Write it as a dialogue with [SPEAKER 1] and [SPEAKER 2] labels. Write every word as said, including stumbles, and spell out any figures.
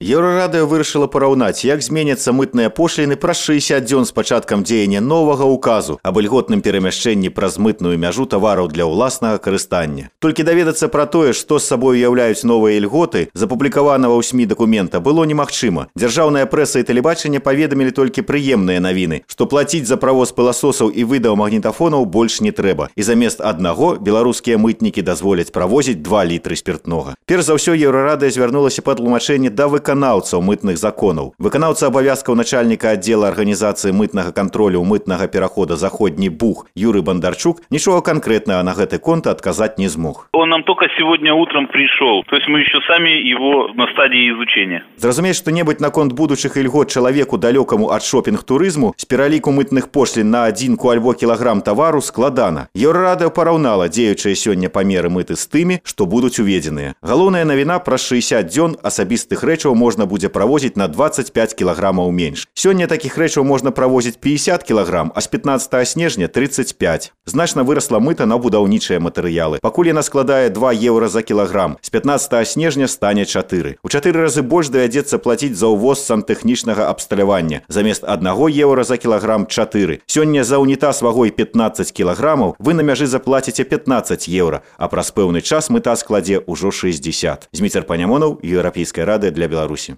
[SPEAKER 1] Еўрарадыё вырашыла параўнаць, як зменяцца мытныя пошліны праз шэсцьдзесят дзён з пачаткам дзеяння новага указу аб ільготным перамяшчэнні праз мытную мяжу тавараў для ўласнага карыстання. Толькі даведацца пра тое, што з сабой уяўляюць новыя ільготы, запублікаванага ў СМІ дакумента было немагчыма. Дзяржаўная прэса і тэлебачанне паведамілі толькі прыемныя навіны, што плаціць за правоз пыласосаў і выдаў магнітафонаў больш не трэба. І замест аднаго беларускія мытнікі дазволяць правозіць два літры спіртнога. Перш за ўсё Еўрарадыё звярнулася па тлумачэнне да выканання выканаўцаў мытных законаў. Выканаўца абавязкаў начальніка аддзела арганізацыі мытнага кантролю мытнага перахода заходні Буг Юрый Бандарчук нічога конкретного на гэты конт отказать не смог.
[SPEAKER 2] Он нам только сегодня утром пришел, то есть мы еще сами его на стадии изучения.
[SPEAKER 1] Зразумець што-небудзь наконт будучых ільгот чалавеку далёкаму ад шопінг-турызму з пераліку мытных пошлін на адзінку альбо кілаграм тавару складана. Еўрарадыё параўнала дзеючыя сёння памеры мыты з тымі, што будуць уведзеныя. Галоўная навіна праз шэсцьдесят дзён асабістых рэчаў можна будзе правозіць на двадцать пять кілаграмаў менш. Сёння такіх рэчаў можна правозіць пятьдесят кілаграм, а з пятнадцатага снежня тридцать пять. Значна вырасла мыта на будаўнічыя матэрыялы. Пакуль яна складае два еўра за кілаграм, з пятнадцатага снежня стане чатыры. У чатыры разы больш давядзецца плаціць за ўвоз сантэхнічнага абсталявання. Замест аднаго еўра за кілаграм чатыры. Сёння за унітаз вагой пятнадцать кілаграмаў вы на мяжы заплаціце пятнадцать еўра, а праз пэўны час мыта складзе ўжо шэсцьдесят. Зміцер Панямонаў, Еўрапейская рада для Беларусі.